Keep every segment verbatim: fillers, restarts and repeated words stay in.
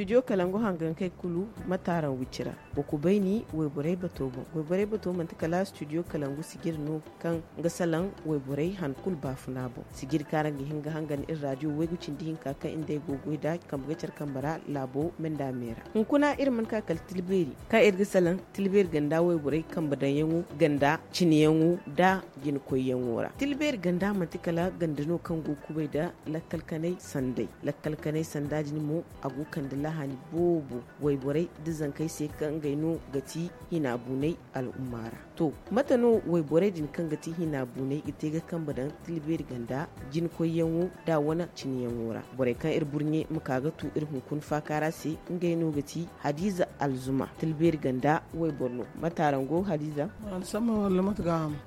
Studio kalangu hangankey kulu mate araŋ wicira. Wa kubayni wayborey bato boŋ. Wayborey bato manti kala studio kalangu sijiri no kaŋ ga salaŋ wayborey han kulu baafuna boŋ. Sijiri kaŋ araŋ ga hin ga hangan iri radio waygu cindi hinka kaŋ iri nd'ey go ga goy nd'a kambe ga care kambe ra laabo me nda me ra. Hunkuna iri mana ka kala tilbeeri kaŋ iri ga salaŋ tilbeeri ganda wayborey kambe daŋyaŋo ganda cineyaŋo nda jinakoyyaŋo ra. Tilbeeri ganda manti kala ganda no kaŋ go ga kubay nda lakkal kanay sanday. Lakkal kanay sanda din mo a go ga kande lahani boobo wayborey nda zankey se kaŋ ngey no ga ti hina buunay al'umma ra. To, mate no wayborey din kaŋ ga ti hina buunay ga te ga kambe daŋ tilbeeri ganda jinakoyyaŋo nda wane cineyaŋo ra? Borey kaŋ iri burɲe ma ka ga tu iri hunkuna faaka ra se, ngey no ga ti Hadiza Alzuma, tilbeeri ganda wayboro no. Mate araŋ go, Hadiza?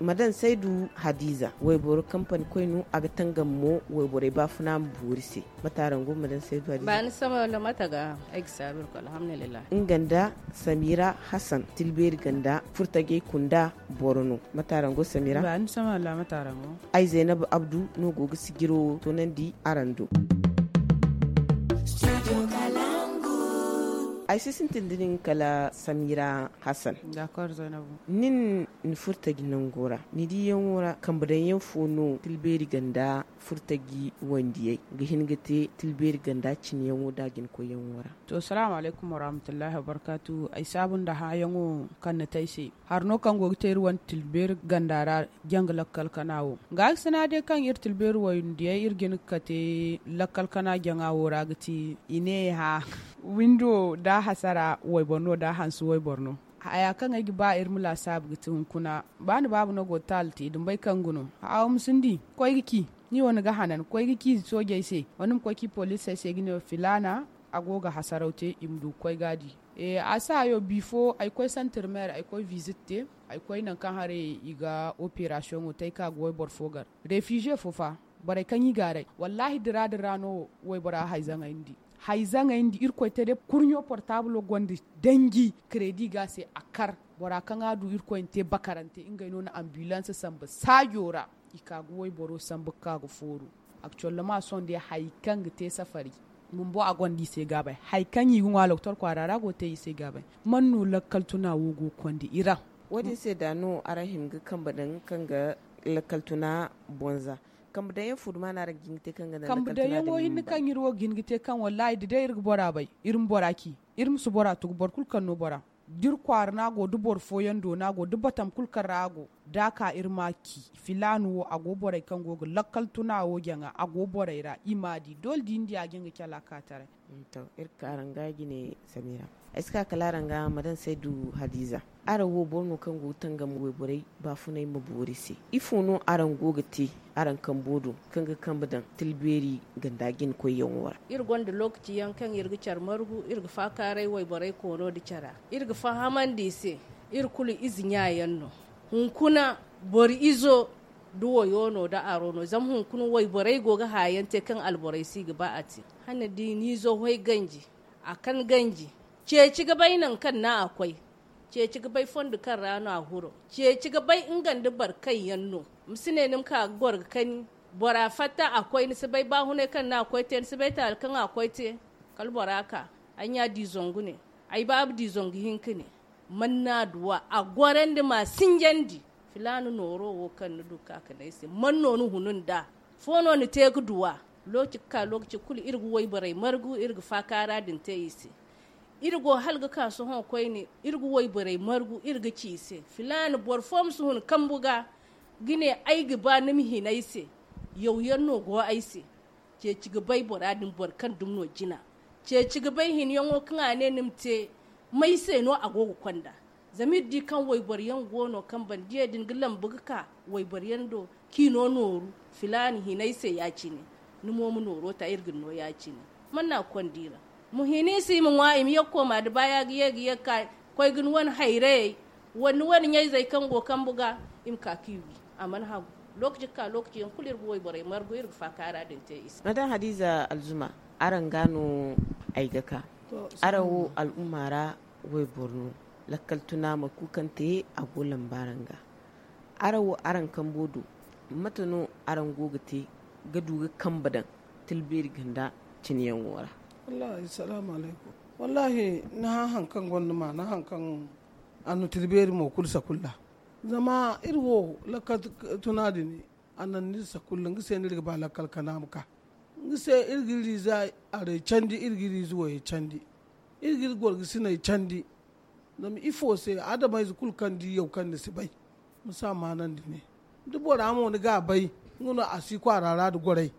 Madan Saydu Hadiza, wayboro kampani koy no, a ga tangam mo wayborey baafuna ma boori se. Mate araŋ go, Madan Saydu Hadiza? Baani sama wala mate ga ay ga saabu iri ko alhamdulillah. Nga nda Samira Hassan, tilbeeri ganda furtajey kunda boro no. Mate araŋ go, Samira? Baani sama wala mate araŋ go? Ay Zainabu Abdu no go ga sijiro wo toonandi araŋ do. Ay si sintin da nin kala Samira Hassan. D'accord, Zainabu. Nin ni furtaji nango ra, ni diyaŋo ra kambe daŋyaŋ fo no tilbeeri ganda furtaji wandiyey ga hin ga te tilbeeri ganda cineyaŋo da jinkoyyaŋo ra? To, salaamu alaykum warahmatullahi wabarkaatu. Ay saabu nda hããyaŋo kaŋ ni te ay se. Hari no kaŋ go ga te iri wane tilbeeri ganda ra, janga lakkal kana wo. Nga ga sina day kaŋ iri tilbeeri wandiyey iri ga hin ga kate lakkal kana jaŋa wo ra ga ti i ne hã windo da hasara wayboro no da hanse wayboro no. Haya kaŋ ay ga ba iri ma laasaabu ga ti hunkuna, ba ni baaba no go ga taali te da ni bay kaŋ ga no. Haawo ma si ni di, koy ga ci, ni wo ni ga hanan, koy ga ci soojey se, wala ni ma koy ci poliisey se ga ne filaana, a go ga hasaraw te, i ma du ga koy ga a di. A si hayo bifo ay koy santir meer, ay koy visit te, ay koy nangu kaŋ haray i ga operasiyoŋo te ay ka ga wayboro fo gar. Refize fo fa, borey kaŋ i gaaray, wallaahi dira dira no waybora hayzaŋey ni di. Hayzaŋey ni di, irkoy te day kurɲo portaablo gonda danji, kredi ga a se a kar. Bora kaŋ a du irkoy na te bakarante, ngey no na ambilans samba saajo ra. I ka ga wayboro sambu ga ka ga fooru. Akcollama sohõ day hari kaŋ ga te safari bumbo a gonda i se gaabay. Hari kaŋ i ga ŋwa loktor kwaara ra go ga te i se gaabay. Man no lakkal tuna wo go ga konda i ra? Wo- din se da no araŋ hima ga kambe daŋ kaŋ ga lakkal tuna bonza. Kambe daŋyaŋ fo duma no araŋ ga hin ga te kaŋ ga daŋ lakkal tuna din? Kambe daŋyaŋo hinne kaŋ iri wo ga hin ga te kaŋ wallaahi da day iri ga bora bay, iri ma bora ci, iri ma si bora tugu boro kulu kaŋ no bora. Da iri kwaara no a go da boro fooyaŋ do no a go da batam kulu kaŋ ra a go, da a ka iri ma a ci. Filaana wo a go borey kaŋ go ga lakkal tuna wo jaŋa, a go borey ra i ma a di doole da i na di a ga hin ga cala ka taray. To, iri ka araŋ ga jine, Samira. Ay si ka kala araŋ ga madan saydu hadiza. Araŋ wo boro no kaŋ go ga tangam wayborey baafunay ma boori se. Ifo no araŋ go ga te araŋ kambo do kaŋ ga kambe daŋ tilbeeri ganda jina koyyaŋo ra? Iri gonda lookaci yaŋ kaŋ iri ga care margu, iri ga faakaaray wayborey koono nda cara. Iri ga fahamandi i se, iri kulu ize ɲa yaŋ no. Hunkuna boro izo da wayo no da aro no, zama hunkuna wayborey go ga haya yaŋ te kaŋ alborey si ga ba a te. Hane da i na izo hoy ganji, a kan ganji. Ceeci ga bay nangu kaŋ no a koy. Ceeci ga bay fondo kaŋ ra no a huro. Ceeci ga bay nga nda boro kaŋ yaŋ no. Ma si ne ni ma ka ga goro ga kani. Bora fatta a koy, ni si bay baahunay kaŋ no a koy te, ni si bay taali kaŋ a koy te. Kala bora ka, ay ɲa di zangu ne, ay baaba di zangu hinka ne. Man no a duwa a gorandi ma a sinjandi. Filaana nooro wo kaŋ ni du ka ka ne ay se, man no ni hunu nd'a? Fo no ni te ga duwa? Lookaci ga ka lookaci kulu iri ga wayborey margu, iri ga faakaara din te i se. Iri go hala ga ka sohõ koyne, iri ga wayborey margu, iri ga ci i se, filaana boro fo ma si hun kambu ga, ga ne ay ga ba ni ma hin ay se. Yaw yaŋ no go ay se. Ceeci ga bay bora din boro kaŋ dumi no jina. Ceeci ga bay hinyaŋo kaŋ a ne ni ma te, may se no a go ga konda? Zama iri di kaŋ wayboro yaŋ go no kaŋ banda diyey din ga lambu ga ka wayboro yaŋ do, kaŋ i no nooru, filaana hin ay se ya-cine. Ni mo ma nooro ta, iri ga ni no ya-cine. Man no a ga konda i ra? Ma hin i se, i ma ŋwa, i ma ye ga kooma da baaya ga ye ga ye ga ka koy ga ni wane hayrayey, wala ni wane ɲayzey kaŋ go kambu ga, i ma ka ka i wi. A mana hagu. Lookaci ga ka lookaci yaŋ kulu iri ga wayborey margu, iri ga faakaara din te i se. Madan hadiza alzuma, araŋ ga no ay ga ka. Araŋ wo al'umma ra wayboro no, lakkal tuna mate kulu kaŋ te a go lamba araŋ ga. Araŋ wo araŋ kambo do, mate no araŋ go ga te ga du ga kambe daŋ tilbeeri ganda cine yaŋo ra? Wallahi salaamu alaykum. Wallaahi, ni hã haŋ kaŋ gonda maana, haŋ kaŋ a na tira beeri mo kulu sakulla. Zama iri wo, lakkal tuna din, a naŋ ni iri sakulla, nga se no iri ga ba lakkal kana ma ka. Nga se iri ga iri ize aray candi, iri ga iri ize wayey candi, iri ga iri gorgasiney candi. Zama ifo se? Adamayze kulu kaŋ di yaw kaŋ ni si bay, ma si a maanandi ne. Da bora mo ni ga a bay, nga no a si kwaara ra nda goray.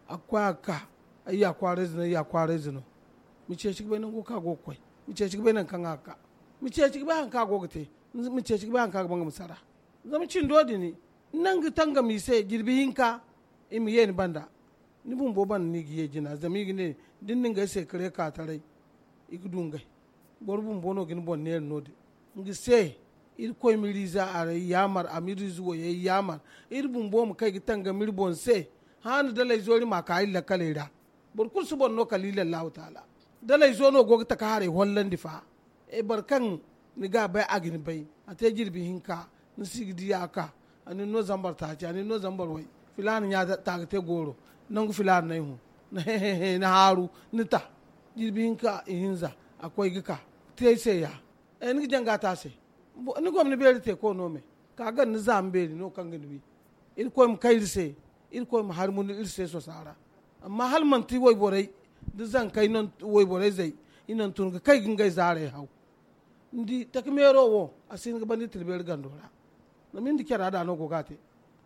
A ga koy a ga ka. Ay ya kwaarayze no, ay ya kwaarayze no. Ma ceeci ga bay nango kaŋ a go ga koy. Ma ceeci ga bay nangu kaŋ a ga ka. Ma ceeci ga bay haŋ kaŋ a go ga te. Ma ceeci ga bay haŋ kaŋ a ga ba nga ma sara. Zama cindo din, ni naŋ ga tangam i se jirbi hinka, i ma ye ni banda. Ni bumbo banda no i ga ye jina, zama i ga ne, da ni na ngey se kare ka taray, i ga du ngey. Boro bumbo no ga ni boŋ neera no- din. Nga se, irkoy ma iri ize aray yaamar, a ma iri ize wayey yaamar. Iri bumbo ma kay ga tangam iri boŋ se. Haana dalay zo iri ma a ka iri lakkaley ra. Boro kulu si boŋ no kala iri lallahu taala. Dalay zo no go ga taka haray hollandi fa. Boro kaŋ ni ga a bay, a ga ni bay. A te jirbi hinka, ni si ga di a ka. A nin no zambar taaci, a nin no zambar way. Filaana ɲa ta ga te gooro. Nangu filaana no ay hun. Ni haaru, ni ta. Jirbi hinka ihinza, a koy ga ka. Te ay se ya. Ni ga janga ta se. Ni gomni beeri te ko no me? Ka gan ni zaama beeri no kaŋ ga ni wi. Irkoy ma kay iri se. Irkoy ma hari munu iri se sosa ra. Amma hala manti wayborey, da zankey no, wayborey-zey, i naŋ tun ga kay ga ngey zaarey haw. Ni di, taka meero wo, a si hin ga banda iri tira beeri gando ra. Zama iri nda cara da no go ga a te.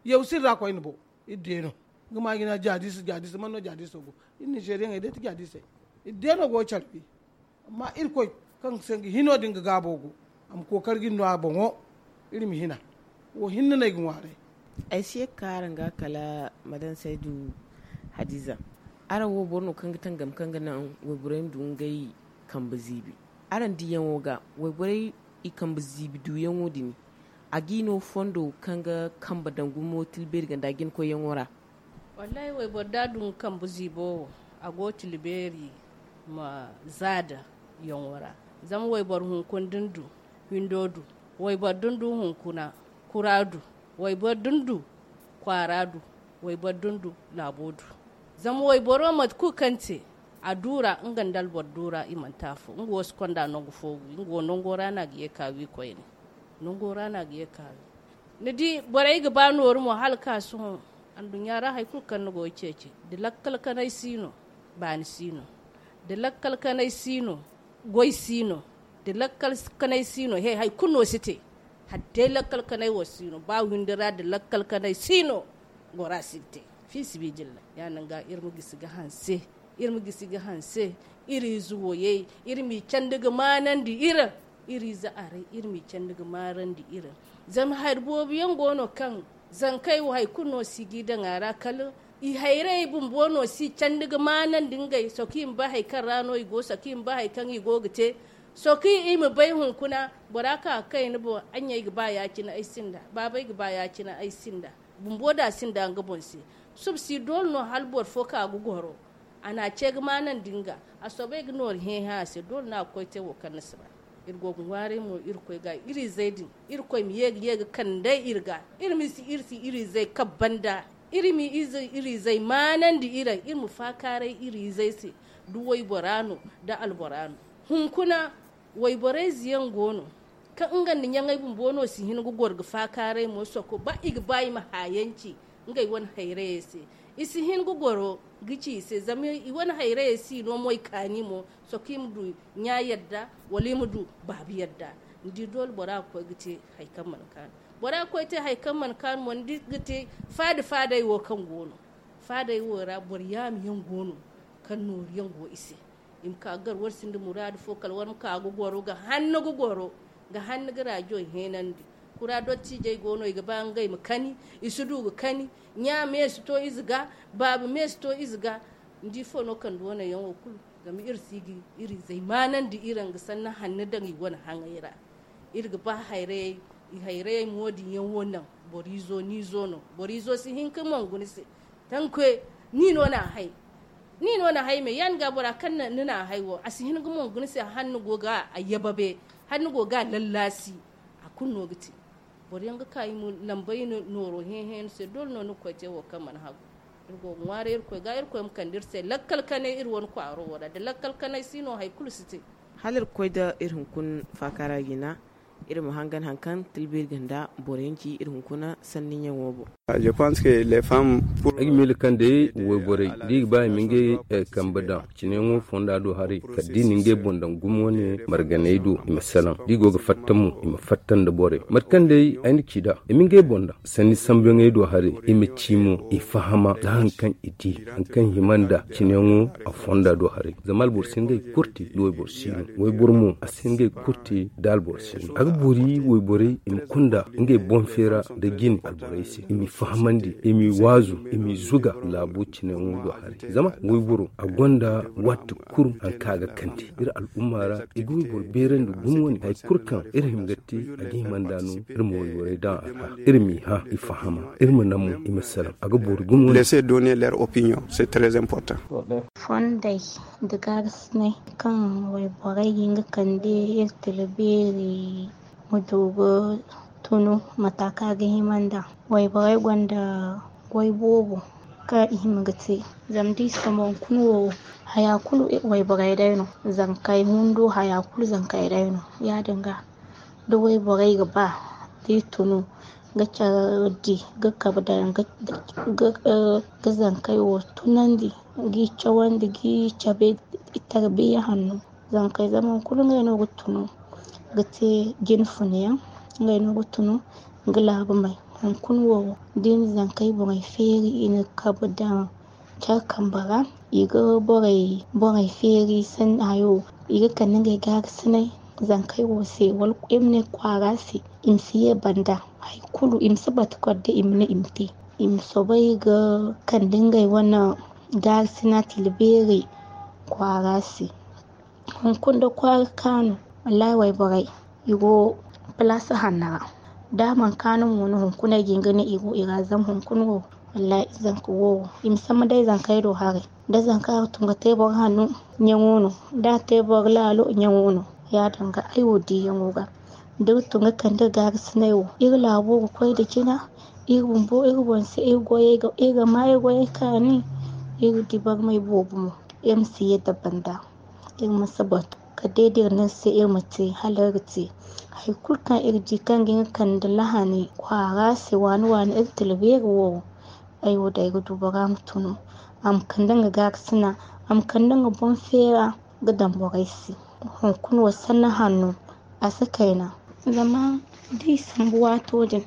Yaw si iri ra koyne bo. Iri de no. Nga ma jina jaadiisa jaadiisa man no jaadiiso go? Iri ninzeeriyaŋey day ti jaadiisey. Iri de no go ga care wi. Amma irkoy, kaŋ se nga hino din ga gaabo go, a ma kookari ga iri no a boŋo. Iri ma hina. Wo hinne no ay ga ŋwaaray. Ay si ye ga ka araŋ ga kala madan saydu. Hadiza, araŋ wo boro no kaŋ ga tangam kaŋ ga naŋ wayborey ma du ngey kambe ziibi. Araŋ diyaŋo ga wayborey i kambe ziibi duyaŋo din, a g'i no fondo kaŋ ga kambe daŋ gumo tilbeeri ganda jina koyyaŋo ra? Wallahi, wayboro da a du nga kambe ziibo wo, a go tilbeeri ma zaada yaŋo ra. Zama wayboro hunkuna da ni du, windo du. Wayboro da ni du hunkuna, kura du. Wayboro da ni du, kwaara du. Wayboro da ni du, laabo du. Zama wayboro mate kulu kaŋ te, a du ra nga nda alboro du ra i mana te afo. Nga wo si konda nangu fo wi, nga wo nango ra no a ga ye ka wi koyne. Nango ra no a ga ye ka wi. Ni di, borey ga ba nooru mo hala ka sohõ. Anduɲɲa ra hari kulu kaŋ ni go ga ceeci, da lakkal kanay si no, baani si no. Da lakkal kanay si no, goy si no. Da lakkal kanay si no, he, hari kulu no si te. Hala day lakkal kanay wo si no, ba windi ra da lakkal kanay si no, gora si ga te. Fi sibidillahi, ya-din ga iri ma gisi ga hanse. Iri ma gisi ga hanse iri ize woyey, iri m'i candi ga maanandi iri. Iri ize aray, iri m'i candi ga maarandi iri. Zama hari boobo yaŋ go no kaŋ zankey wo hari kulu no si g'i daŋ a ra, kala i hayrayey bumbo no si candi ga maanandi ngey. Sohõ kaŋ i ma bay hari kaŋ ra no i go, sohõ kaŋ i ma bay hari kaŋ i go ga te. Sohõ kaŋ i ma bay hunkuna, bora ka ga kay ni boŋ, ay ɲa ay ga ba ya-cine ay sinda, baaba ay ga ba ya-cine ay sinda. Bumbo da a sinda nga boŋ se, suba si doole no hala boro fo ka ga goro. A n'a ce ga maanandi nga. A soobay ga nooru hẽ-hẽ a se, doole no a ga koy te wo kaŋ ni si ba. Iri go ga ŋwaaray mo Irkoy ga, iri izey din, Irkoy ma ye ga ye ga kande iri ga. Iri ma si iri si iri izey kaŋ banda. Iri ma ize iri izey maanandi iri, iri ma faakaaray iri izey se, da waybora no, da albora no. Hunkuna, wayborey ize yaŋ go no, kaŋ nga nda ɲaŋey bumbo no si hin ga goro ga faakaaray mo, soko ba i ga ba i ma haayanci ngey wane hayrayey se. I si hin ga goro ga ci i se, zama i wane hayrayey si no mo i kaani mo, soko i ma du ɲa yadda, wala i ma du baaba yadda. Ni di, doole bora ga koy ga te hari kaŋ mana kaanu. Bora ga koy te hari kaŋ mana kaanu mo, ni di, ga te faada-faadey wo kaŋ go no. Faadey wo ra boro yaama yaŋ go no, kaŋ nooru yaŋ go i se. I ma ka ga gar, war sinda muraadu fo, kala war ma ka ga goro, ga hanno ga goro, ga hanno ga rajo heenandi. Kura dottijey go no, i ga ba ngey ma kani, i si du ga kani. Ɲa me si to ize ga, baaba me si to ize ga. Ni di, ifo no kande wane yaŋo kulu? Zama iri si ga iri izey maanandi iri nga sanna hanno daŋ i wane haŋey ra. Iri ga ba hayrayey, i hayrayey mo din yaŋ wo naŋ. Boro izo, ni izo no. Boro izo si hin ga mongu ni se. Tankoy, ni no n'a hay. Ni no n'a hay me, ya-din ga bora kaŋ ni n'a hay wo, a si hin ga mongu ni se, hala ni go ga a yababe, hala ni go ga a lallaasi, a kulu no ga te. Boro yaŋ ga ka i ma lambey nooro hẽ-hẽ ni se, doole no ni ga koy te wo kaŋ mana hagu. Iri go ga ŋwaaray irkoy ga irkoy ma kande iri se lakkal kanay iri wane kwaaro wo ra da lakkal kanay si no hari kulu si te. Hala iri ga koy nda iri hunkuna faakaara jina, iri ma hangan hari kaŋ tilbiri ga nda boro yaŋ ci iri hunkuna sanni ɲaŋo boŋ. Ay ga miila kaŋ day wayborey da i ga ba i ma ngey kambe daŋ cineyaŋo fonda do haray kala da i na ngey boŋ daŋ gumo wane marganey do i ma salaŋ da i go ga fatta mo i ma fatta nda borey mate kaŋ day ay na ci nd'a i ma ngey boŋ daŋ sanni sambuyaŋey do haray i ma ci mo i fahama za hari kaŋ i di hari kaŋ hima nda cineyaŋo a fonda do haray. Zama alboro si ngey kurti da wayboro si no wayboro mo a si ngey kurti da alboro si no a ga boori wayborey i ma kunda ngey boŋ feera nda jine alborey se i m'i fahamandi i m'i waazu i m'i zuga laabo cineyaŋo do haray. Zama wayboro a gonda waati kulu hari kaŋ a ga kande iri al'umma ra i ga wayboro beerandi gumo wane hari kulu kaŋ iri hima ga te a ga hima nda no iri ma wayborey daŋ a ra iri m'i hã i fahama iri ma naŋ mo i ma salaŋ a ga boori gumo wane. Fondey nda gaagasinay kaŋ wayborey ga hin ga kande iri tila beeri ma du ga tunu mata kaŋ a ga hima nd'a. Wayborey gonda goy boobo kaŋ i hima ga te zama da i sambu hunkuna wo haya kulu wayborey day no zankey hundo haya kulu zankey day no. Ya- din ga da wayborey ga ba da i tunu ga care di ga kabe daŋ ga zankey wo tunandi g'i cawandi g'i cabe tarbiya hanno. Zankey zama hunkuna ngey no ga tunu ga te jine funayaŋ ngey no ga tunu ga laabu may. Hunkuna wo da i na zankey boŋey feeri i na kabe daŋ care kambe ra i ga borey feeri sanni hayo i ga kande ngey gaagasinay zankey wo se wala iri ma ne kwaara se i ma si ye banda hari kulu i ma si batu kala day i ma ne i ma te i ma soobay ga kande ngey wane gaarasina tila beeri kwaara se. Hunkuna da kwaara kaanu wallaahi wayborey i go palaasa hanno ra da a mana kaanu mo no hunkuna ay ga hin ga ne i go i ra zama hunkuna wo wallaahi zanka wo i ma sambu day zankey do haray da zanka ga tun ga te boro hanno ɲaŋo no da a te boro laalo ɲaŋo no. Ya- din ga ay wo diiyaŋo ga da iri tun ga kande iri gaarasinay wo iri laabo ga koy nda jina iri bumbo iri boŋ se iri goyey ga iri ga ma iri goyey kaani iri di barmay boobo mo iri ma si yadda banda iri ma si batu kala day da iri ne iri se iri ma te hala iri ga te hari kulu kaŋ iri di kaŋ ga hin ga kande lahani kwaara se waani waani iri tila beeri wo ay wo day ga du bora ma tunu a ma kande nga gaarasina a ma kande nga boŋ feera ga daŋ borey se hunkuna wo sanni hanno a si kayna zama da i sambu waato din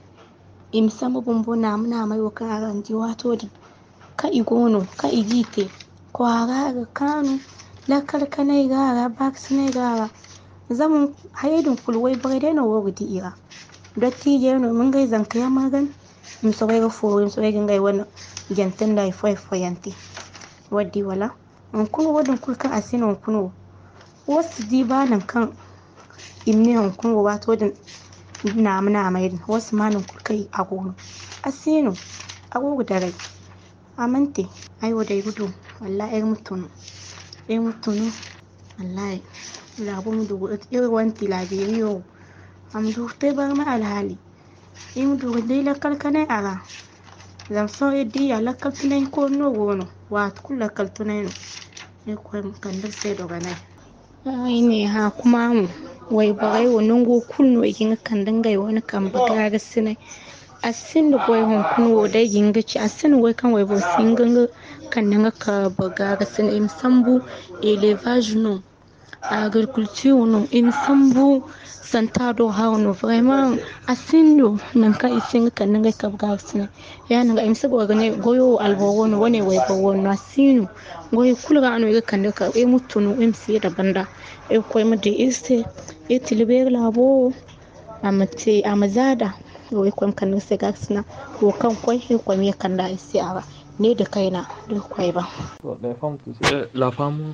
i ma sambu bumbo naama naamay wo kaŋ araŋ di waato din kaŋ i go no kaŋ i g'i te kwaara ga kaanu lakkal kanay ga a ra baakasinay ga a ra zama hayey din kulu wayborey day no wo ga di i ra dottiijey no i ma ngey zanka yaŋ margan i ma soobay ga fooru i ma soobay ga ngey wane jante nda hari fo hari fo yaŋ te waddi wala hunkuna wo din kulu kaŋ a si no hunkuna wo wo si di ba nangu kaŋ i ma ne hunkuna wo waato din naama naamay din wo si ma nangu kulu kaŋ a go no a si no a go ga daray a mana te ay wo day ga du wallahi ay ga ma tunu ay ma tunu wallahi laabo ma du iri wane tilaabeeriyo wo a ma du ga te barmay alhaali iri ma du ga di lakkal kanay a ra zama sohõ iri diya lakkal tunay koonu no go no waati kulu lakkal tunay no iri koy ma kande iri se dogonay ay ne hã kuma mo wayborey wo nango kulu no i ga hin ga kande ngey wane kambe gaarasinay a sinda goy hunkuna wo day ga hin ga ci a sinda goy kaŋ wayboro si hin ga nga kande nga kambe gaarasinay i ma sambu elevaz no agriculture no i ma sambu santa do haro no vraiment a sinda nangu kaŋ i si hin ga kande ngey kambe gaarasinay ya- din ga i ma si goro ga ne goyo wo alboro wo no wane wayboro wo no a si no goyo kulu ra no i ga kande ga ka i ma tunu i ma si yadda banda irkoy ma di iri se iri tila beeri laabo wo a ma te a ma zaada wo irkoy ma kande iri se gaarasina wo kaŋ koy irkoy ma ye kanda iri se a ra ne da kayna da irkoy ba.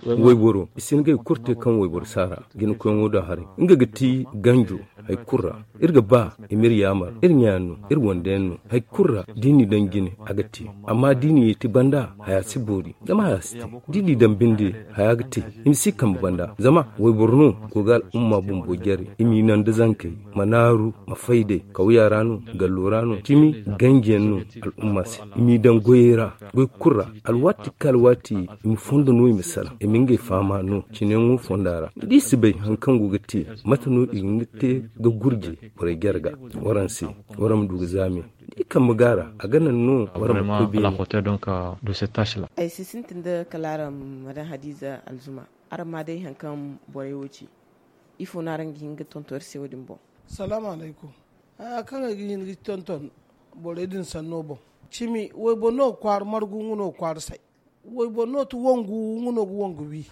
Wayboro i si hin ga i kulu te kaŋ wayboro si a ra jinakoyaŋo da haray nga ga ti ganjo Hari kulu ra iri ga ba i ma iri yaamar, iri ɲa yaŋ no, iri wande yaŋ no. Hari kulu ra da i n'i daŋ jine, a ga te. Amma da i n'i yeeti banda, haya si boori. Zama haya si te. Da i n'i daŋ binde, haya ga te. I ma si kambe banda. Zama wayboro no go ga al'umma bumbo jare. I m'i naŋ da zankey, ma naaru, ma fay day. Kawya ra no, gallo ra no, cimi ganji yaŋ no al'umma se. I m'i daŋ goyey ra, goy kulu ra. Alwaati ka alwaati, i ma fondo no, i ma salaŋ, i ma ngey fahama no cine yaŋo fonda ra. Da i si bay hari kaŋ go ga te, mate no i ga nga te ga gurje borey jare ga? Waraŋ se, waraŋ ma du ga zaame. Da i kambe gaara, a ga naŋ no waraŋ ma koy beene. Ay si sintin da kala araŋ, madan hadiza alzuma, araŋ ma day hari kaŋ borey wo ci. Ifo no araŋ ga hin ga tonton iri se wo- din boŋ? Salaamu alaykum. Haya kaŋ ay ga hin ga tonton borey din sanno boŋ, cimi wayboro no ga kwaara margu, nga no ga kwaara say. Wayboro no ti wangu, nga no ga wangu wi.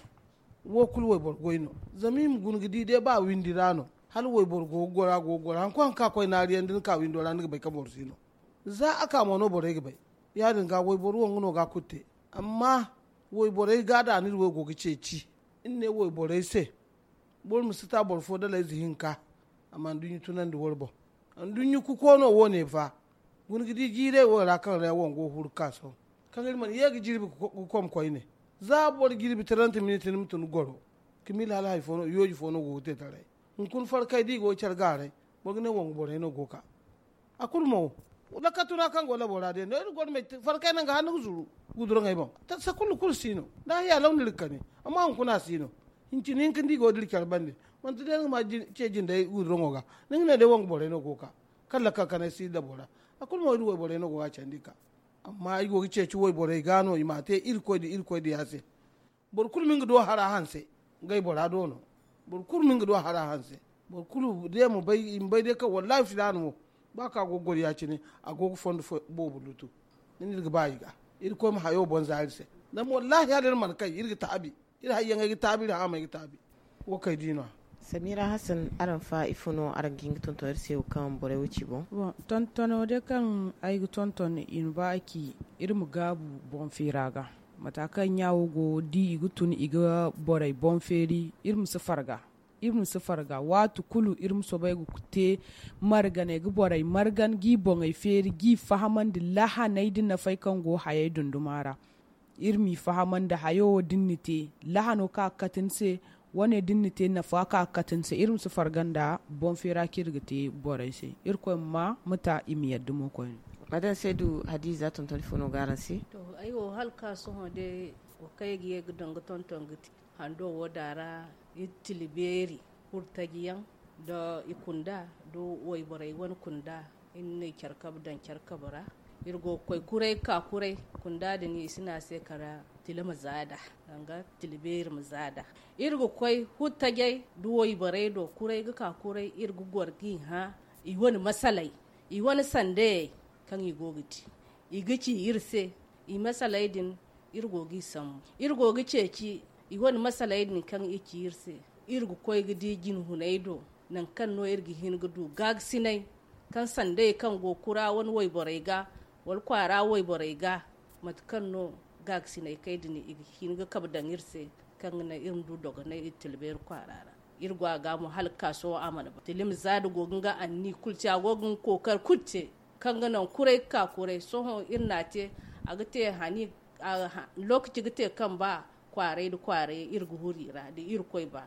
Wo kulu wayboro goy no. Zama i ma guna ga di day ba windi ra no, hala wayboro go ga goro, a go ga goro. Hari kulu hari kaŋ a koy naari yaŋ, da ni ka windo ra, ni ga bay kaŋ boro si no. Za a ka mo no borey ga bay. Ya- din ga wayboro wangu no ga a kulu te. Amma wayborey ga da no iri wo go ga ceeci. Iri ne wayborey se, boro ma si ta boro fo dala ize hinka, a ma nduɲɲa tunandi wara boŋ. Nduɲɲa kuko no wo- ne fa. Guna ga di jiirey wo ra kaŋ ra wango huru ga ka sohõ, kaŋ iri mana ye ga jirbi ga kom koyne. Za boro jirbi taranta miniti, ni ma tun goro, ka miila hala hari fo no, yooji fo no go ga te taray. Hunkuna farkay da i go ga care gaaray, boro ga ne wangu borey no go ga ka. A kulu mo, lakkatu ra kaŋ go labo ra day no iri goro me, farkay naŋ ga hanno ga zuru guduraŋey boŋ. Tassa kulu kulu si no. Da haya law no iri ga kani, amma hunkuna a si no. Hincin hinka nda i go ga dira care bande, manti day ni ga ma ce jindey guduraŋo ga, ni ga ne day wangu borey no go ga ka. Kaŋ lakkal kanay si labo ra, a kulu mo iri wayborey no go ga a candi ga ka. Amma i go ga ceeci wayborey ga no i ma a te irkoy da irkoy diya se. Boro kulu ma nga do hara hanse, ngey bora do no. Boro kulu ma nga do hara hanse. Boro kulu day ma bay i ma bay day kaŋ wallahi filaana mo, ba kaŋ a go ga goro ya- cine, a go ga fondo boobo lutu. Ni na iri ga ba i ga, irkoy ma hayo boŋ za iri se. Zama wallahi hala iri mana kay, iri ga taabi. Iri hayyaŋey ga taabi, iri haamey ga taabi. Wo kay di no- ya. Samira Hassan, araŋ fa ifo no araŋ ga hin ga tonton iri se wo kaŋ borey wo ci boŋ? Tontono day kaŋ ay ga tonton, i ma ba a ci, iri ma gaabu boŋ feera ga. Mata kaŋ ɲa wo go, da i ga tun i ga borey boŋ feeri, iri ma si farga. Iri ma si farga waati kulu, iri ma soobay ga te marganey ga borey margan, g'i boŋey feeri, g'i fahamandi lahaney da nafey kaŋ go hayey dunduma ra. Iri m'i fahamandi hayo wo da ni na te, lahano kaŋ a ga kate ni se, wane da ni na te nafa kaŋ a ga kate ni se, iri ma si farga nda boŋ feera kaŋ iri ga te borey se. Irkoy ma ma ta i ma yadda mo koyne. Madan saydu hadiza tonton ifo no ga araŋ se? To, ay wo hala ka sohõ day wo kaŋ ay ga ye ga daŋ ga tonton ga te hando wo da ra, iri tila beeri, hurtaji yaŋ da i kunda, da wayborey wane kunda, iri na care kabe daŋ care kabe ra. Iri go ga koy kuray ga ka kuray, kunda din i si ne a se kala tila ma zaada, danga tila beeri ma zaada. Iri ga koy huttajey da wayborey do, kuray ga ka kuray, iri ga goro g'i hã i wane masaley, i wane sandayey kaŋ i go ga te, i ga ci iri se. I masaley din, iri go g'i sambu, iri go ga ceeci i wane masaley din kaŋ i ci iri se. Iri ga koy ga di jinhuney do, nangu kaŋ no iri ga hin ga du gaagasiney, kaŋ sandayey kaŋ go kura wane wayborey ga, wala kwaara wayborey ga, mate kaŋ no gaagasiney kay din i ga hin ga kabe daŋ iri se, kaŋ ga naŋ iri ma du dogonay iri tila beeri kwaara ra. Iri go a ga mo hala ga ka sohõ a mana ba tila i ma za da go ga nga anni kulu te, a go ga nga kookari kulu te, kaŋ ga naŋ kuray ga ka kuray. Sohõ iri n'a te, a ga te hani, lookaci ga te kaŋ ba kwaaray da kwaaray iri ga huru i ra da irkoy ba.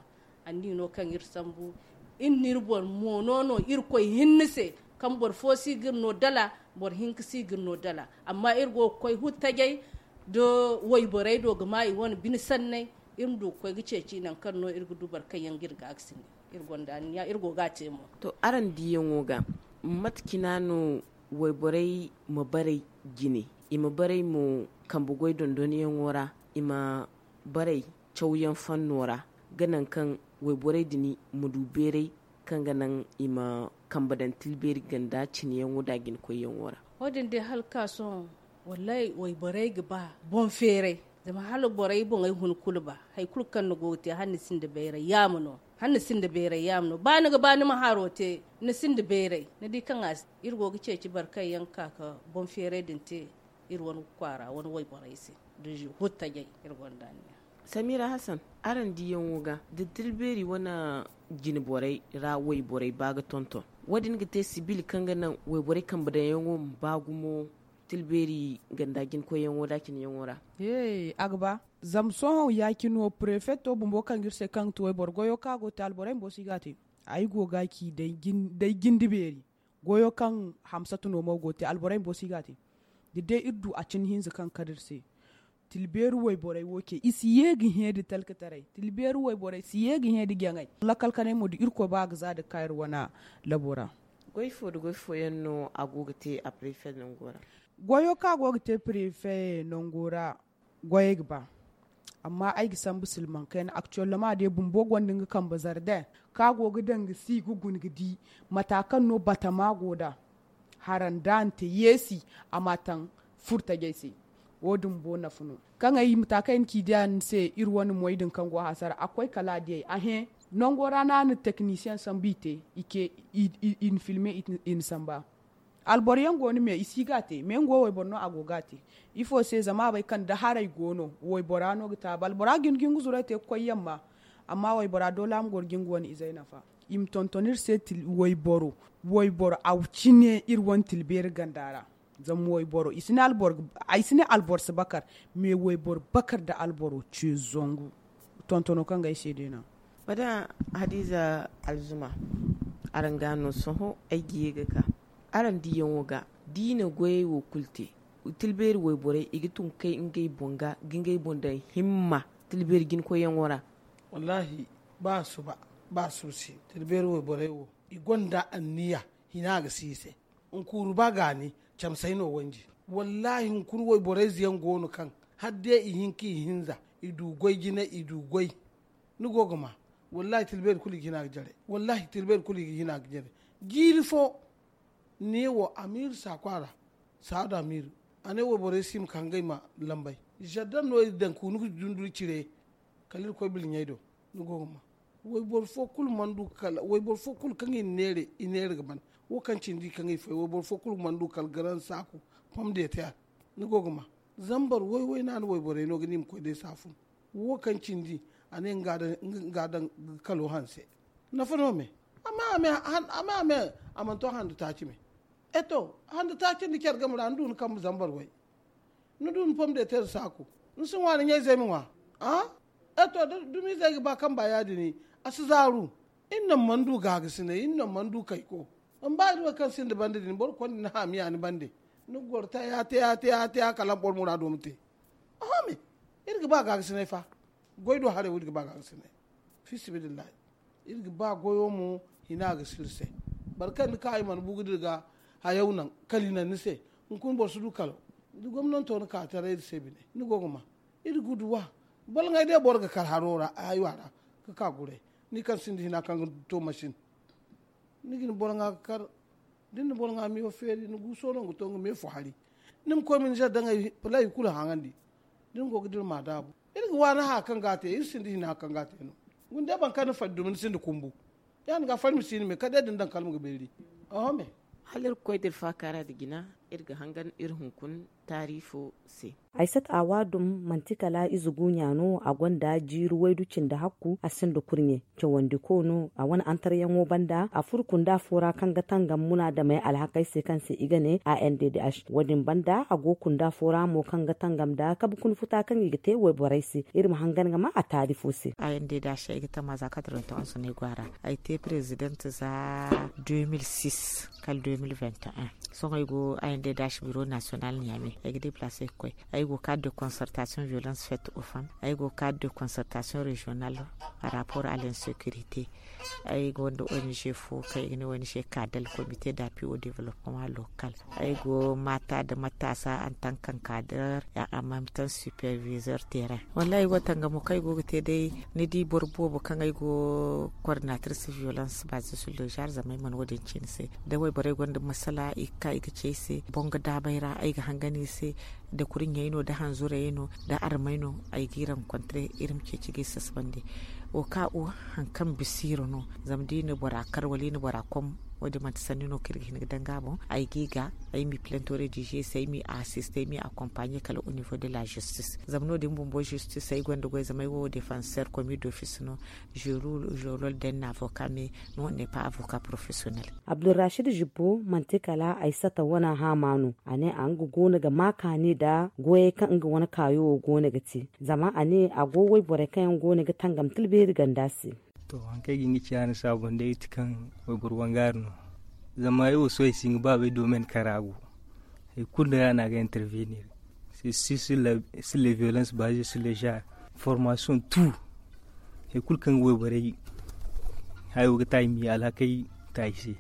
Anni no kaŋ iri sambu, iri n'iri boro moono no irkoy hinne se, kaŋ boro fo si ga iri no dala, boro hinka si ga iri no dala. Amma iri go ga koy huttajey da wayborey do ga ma i wane bine sanney, iri ma du ga koy ga ceeci nangu kaŋ no iri ga du boro kaŋ yaŋ ga iri gaakasindi. Iri gonda anniya, iri go ga a te mo. To, araŋ diyaŋo ga, mate cina no wayborey ma baray jine, i ma baray mo kambe goy dondonyaŋo ra, i ma baray cawyaŋ fanno ra, ga naŋ kaŋ wayborey din ma du beeray kaŋ ga naŋ i ma kambe daŋ tilbeeri ganda cineyaŋo da jinakoyyaŋo ra. Wo-din day hala ga ka sohõ, wallahi wayborey ga ba boŋ feeray. Zama hala borey boŋey hun kulu ba, hari kulu kaŋ ni go ga te, hala ni sinda bayray yaama no. Hala ni sinda bayray yaama no. Ba ni ga ba ni ma haro te, ni sinda bayray. Ni di kaŋ a si, iri go ga ceeci boro kaŋ yaŋ ga ka ga boŋ feeray din te iri wane kwaara wane wayborey se da huttajey. Iri gonda anniya. Samira Hassan, araŋ diyaŋo ga da tilbeeri wane jine borey ra wayborey ba ga tonton, wo- din ga te sibil kaŋ ga naŋ wayborey kambe daŋyaŋo ma ba gumo tilbeeri ganda jine koyyaŋo da cine yaŋo ra? He, a ga ba. Zama sohõ ya- cine wo prefeto bumbo kaŋ ga iri se kaŋ ga ti wayboro goyo kaŋ a go ga te alborey bumbo si ga a te. Ay go ga ci day jinde beeri goyo kaŋ hamsatu no mo go ga te alborey bumbo si ga a te. Da day iri du a cine hinza kaŋ ga kar iri se, tilbeeri wayborey wo ce i si ye ga hẽ nda talkataray. Tilbeeri wayborey si ye ga hẽ nda jaŋay. Lakal kanay mo da irkoy ba a ga za nda ga ka iri wane labo ra. Goy fo nda goy fooyaŋ no a go ga te a prefe nango ra? Goyo kaŋ a go ga te prefe nango ra, goyey ga ba. Amma ay ga sambu silmaŋ kayna aktuwellama day bumbo gonda nga kambe zarde kaŋ a go ga daŋ ga si ga guna ga di mata kaŋ no batama go nd'a. Hara nda a na te yeesi a ma a taŋ furtajey se. Wo- din bumbo nafa no kaŋ ay mata kaŋ ay na ci diya ni se iri wane moy din kaŋ go hasara a koy kala a diyey a hẽ. Nango ra no a na teknisiyeŋ sambu i te i na filme i na samba. Alboro yaŋ go no me i si ga a te me nga wo wayboro no a go ga a te. Ifo se zama a bay kaŋ da haray go no waybora no ga taabu albora ga hin ga hin ga zuray te ga koy yamma. Amma waybora doole a ma goro ga nga wane izey nafa. I ma tonton iri se wayboro wayboro a cine iri wane tilbeeri ganda ra. Zama wayboro i si ne alboro si bakar. Me wayboro bakar nda alboro ce zangu. Tontono kaŋ ga ay se day no. Madam hadiza alzuma, araŋ ga no sohõ ay ga ye ga ka araŋ diyaŋo ga da i na goyey wo kulu te, tilbeeri wayborey i ga tun ga kay ngey boŋ ga ga ngey boŋ daŋ himma tilbeeri jina koyyaŋo ra. Wallahi, ba suba ba suba se tilbeeri wayborey wo i gonda anniya. Hina ga si i se. Hunkuru ba gaani camsay no wanji. Wallahi hunkuru wayborey ze yaŋ go no kaŋ hala day i hin ka i hinza i du goy jine i du goy. Ni go ga ma. Wallahi tilbeeri kulu i ga hina ga jare. Wallahi tilbeeri kulu i ga hina ga jare. Jiiri fo ne wo amiiri saaku a ra. Saadu amiiri a ne wayborey si ma ka ngey ma lambay. Zardan no i daŋ ka hunu ga dunduri cire. Kala iri koy bilɲey do. Ni go ga ma. Wayboro fo kulu mana du kala wayboro fo kulu kaŋ i na neere i neere ga ban. Wo kaŋ cindi kaŋ i fay wayboro fo kulu mana du kala garan saaku. Pom de te a. Ni go ga ma. Zambar way way no a na wayborey no ga ni ma koy day saafun. Wo kaŋ cindi a ne nga daŋ ga kalo hanse. Nafa no me. Amma a me a mana to handa taaci me. E to handa taaci nda care game ra ni du ni kambe zambar way. Ni du ni pom de teeri saaku. Ni si ŋwa ni ɲayzey ma ŋwa. A e to da dumiizey ga ba kamba ya- din a si zaaru. Iri naŋ mana du gaagasinay iri naŋ mana du kayko. Zama ba iri wo kaŋ sinda bande din boro konda ni haamiya ni bande. Ni ga goro taya taya taya taya kala boro muraado ma te. Oho me. Iri ga ba gaagasinay fa. Goy do haray wo iri ga ba gaagasinay. Fiisabilillahi. Iri ga ba goyo mo hina ga si iri se. Boro kaŋ ni ka i mana bu ga dira ga hayaw naŋ kala i naŋ ni se. Hunkuna boro si du kalo. Da gomnanto na ka taray iri se bine ni go ga ma. Iri ga duwa. Balŋay day boro ga kar haro ra haywa ra. Ga ka guray. Ni kaŋ sinda hina kaŋ ga to masin. Ni ga ni boro ŋwa ga kar. Da ni na boro ŋwa miyo feeri ni guuso no ga to nga me fo hari. Ni ma koy ma ni se daŋ ay palay kulu haŋandi. Da ni go ga dira ma daabu. Iri ga waani haya kaŋ ga a te iri sinda hina kaŋ ga a te no. Guna day boro kaŋ ni fari dumi ni sinda kumbu. Ya- din ga fari ma si ni me kala day da ni daŋ kala ma ga beeri. Oho me. Hala iri ga koy da iri faaka ra nda jina. Iri ga hangan iri hunkuna taari fo se. Haysat a waadum manti kala ize guuɲa no a gonda jiiri waydu cindi hakku a sinda kurɲe. Cawandiko no a wane antaryaŋo banda a furo kunda fo ra kaŋ ga tangam munaadamey alhakey se kaŋ se i ga ne a n d d h. Wo- din banda a go kunda fo ra mo kaŋ ga tangam nda kabe kuna futa kaŋ i ga te wayborey se. Iri ma hangan ga ma a taari fo se. A n d d h ay ga tama za quatre-vingt-onze no ay go a ra. Ay te prezident za deux mille six kala deux mille vingt et un. Sohõ ay go a n d d h biro national ɲaame. Ay ga deplace ga koy. Ay go cadre de concertation violence faite au femme. Ay go cadre de concertation regional par rapport à l'insécurité. Ay gonda o n g fo kaŋ i ga ne o n g cadel comité d'appui au développement local. Ay go mata nda matasa en tant qu'encadreur et en même temps superviseur terrain. Wallahi ay go tangamo kaŋ ay go ga te day. Ni di boro boobo kaŋ ay go coordinatrice violence basée sur le genre zama ay mana wo- din ci ni se. Da wayborey gonda masala i ga ka i ga ci ay se boŋ ga daabay ra ay ga hangan i se. Da kurɲey no da hanzurey no da armey no ay g'i rencontre iri ma ceeci g'i sasabandi. Wo ka wo hari kaŋ bisa iri no zama da i na bora kar wala i na bora kom. Wo- din manti sanni no kaŋ iri ga hin ga danga boŋ. Ay g'i ga ay m'i plento redize se ay m'i asiste ay m'i akompanye kala au niveau de la justice. Zama no- din bumbo justice ay gonda goy zama ay wo defenseur commis d'office no. Jerul jorol den na avocat mais no ne pa avocat professionnel. Abdulrashid jibbo manti kala ay sata wana hama no a ne a nga goono ga ma kaani nda goyey kaŋ nga wane kaayo wo goono ga te. Zama a ne a go wayborey kaŋ yaŋ goono ga tangam tilbeeri ganda se. To, haŋ kaŋ ay ga hin ga ci a ni saabon day iti kaŋ wayboro wangaari no. Zama ay wo sohõ ay si hin ga baabay domaine kara go. Hari kulu no ya no a ga intervenir. C'est sur la violence basée sur le genre, formation tout. Hari kulu kaŋ ga wayborey hayo ga ta i ma i alhakey ta i se,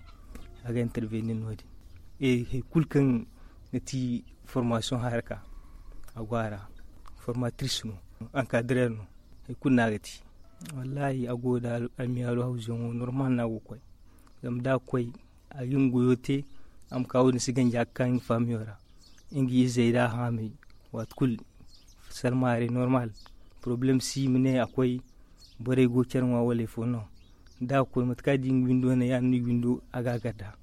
a ga intervenir no- din. Hari kulu kaŋ ga ti formation haraka, a go a ra. Formatrice no, encadreur no, hari kulu no a ga te. Wallahi a go da almiyaaru hawzuyaŋo normal no a go ga koy. Zama da a koy, a ga nga goyo te. A ma ka wo- din si ganji a ga ka nga faamiyo ra. Nga izey da a haamay, waati kulu salmaarey normal. Poroblem si i ma ne a koy, borey go care ŋwa wala ifo no. Da a koy mate kaŋ a di nga windo ne ya- din no i windo a ga a garda.